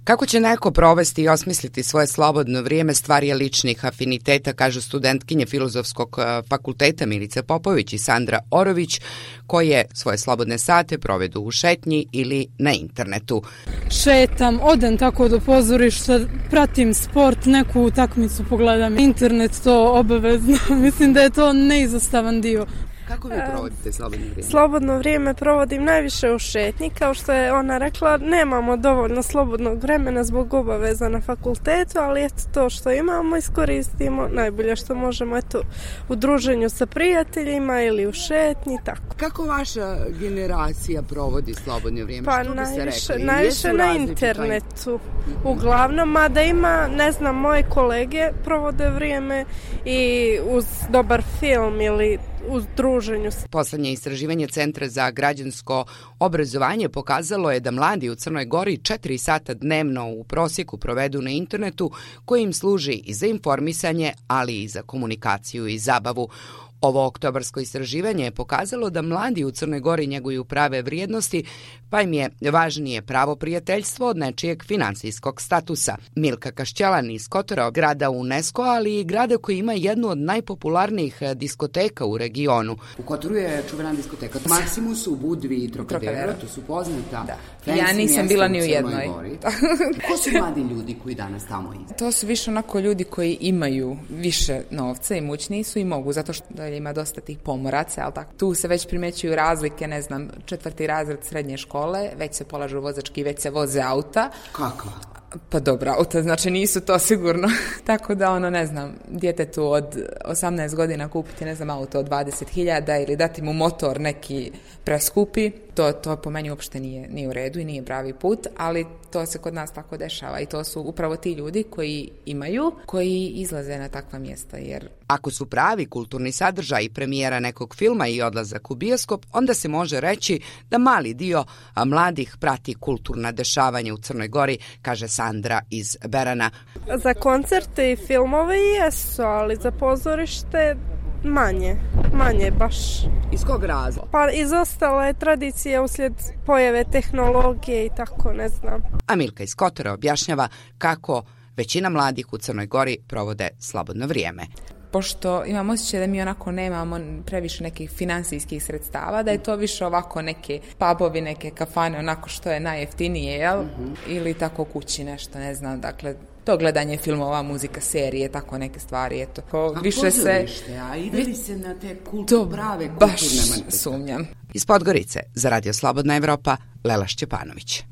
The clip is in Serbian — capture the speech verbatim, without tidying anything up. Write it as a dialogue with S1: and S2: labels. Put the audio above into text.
S1: Kako će neko provesti i osmisliti svoje slobodno vrijeme stvar je ličnih afiniteta, kažu studentkinje Filozofskog fakulteta Milica Popović i Sandra Orović, koje svoje slobodne sate provedu u šetnji ili na internetu.
S2: Šetam, odem tako do pozorišta, pratim sport, neku utakmicu pogledam, internet to obavezno, mislim da je to neizostavan dio.
S1: Kako vi provodite slobodno vrijeme?
S3: Slobodno vrijeme provodim najviše u šetnji, kao što je ona rekla, nemamo dovoljno slobodnog vremena zbog obaveza na fakultetu, ali eto to što imamo iskoristimo najbolje što možemo, eto u druženju sa prijateljima ili u šetnji, tako.
S1: Kako vaša generacija provodi slobodno vrijeme?
S3: Pa
S1: što
S3: najviše,
S1: biste rekli?
S3: najviše na internetu, uglavnom, mada ima, ne znam, moje kolege provode vrijeme i uz dobar film ili u druženju.
S1: Poslednje istraživanje Centra za građansko obrazovanje pokazalo je da mladi u Crnoj Gori četiri sata dnevno u prosjeku provedu na internetu, koji im služi i za informisanje, ali i za komunikaciju i zabavu. Ovo oktobarsko istraživanje je pokazalo da mladi u Crnoj Gori njeguju prave vrijednosti, pa im je važnije pravo prijateljstvo od nečijeg finansijskog statusa. Milka Kašćalan iz Kotora, grada UNESCO, ali i grada koji ima jednu od najpopularnijih diskoteka u regionu.
S4: U Kotoru je čuvena diskoteka Maximus, u Budvi i Trocadero, to su poznata.
S5: Da. Ja nisam bila ni u jednoj.
S4: Ko su mladi ljudi koji danas tamo idu?
S5: To su više onako ljudi koji imaju više novca, imućniji su i mogu, zato što ima dosta tih pomoraca, ali tako. Tu se već primećuju razlike, ne znam, četvrti razred srednje škole, već se polažu vozački, već se voze auta.
S4: Kako?
S5: Pa dobra auta, znači nisu to sigurno. Tako da, ono, ne znam, djetetu od osamnaest godina kupiti, ne znam, auto od dvadeset hiljada ili dati mu motor neki preskupi, to, to po meni uopšte nije, nije u redu i nije pravi put, ali to se kod nas tako dešava i to su upravo ti ljudi koji imaju, koji izlaze na takva mjesta. Jer
S1: ako su pravi kulturni sadržaj premijera nekog filma i odlazak u bioskop, onda se može reći da mali dio mladih prati kulturna dešavanja u Crnoj Gori, kaže Sandra iz Berana.
S3: Za koncerte i filmove jesu, ali za pozorište manje, manje baš.
S1: Iz kog razloga?
S3: Pa izostala je tradicija uslijed pojave tehnologije i tako, ne znam.
S1: A Milka iz Kotora objašnjava kako većina mladih u Crnoj Gori provode slobodno vrijeme.
S5: Pošto imam osjećaj da mi onako nemamo previše nekih finansijskih sredstava, da je to više ovako neke pubovi, neke kafane, onako što je najjeftinije, jel? Mm-hmm. Ili tako kući nešto, ne znam, dakle, to gledanje filmova, muzika, serije, tako neke stvari, eto. Ko
S4: a
S5: više se...
S4: a ide li se na te kultu, prave kulturne manifestacije?
S5: Baš sumnjam.
S1: Iz Podgorice, za Radio Slobodna Evropa, Lela Šćepanović.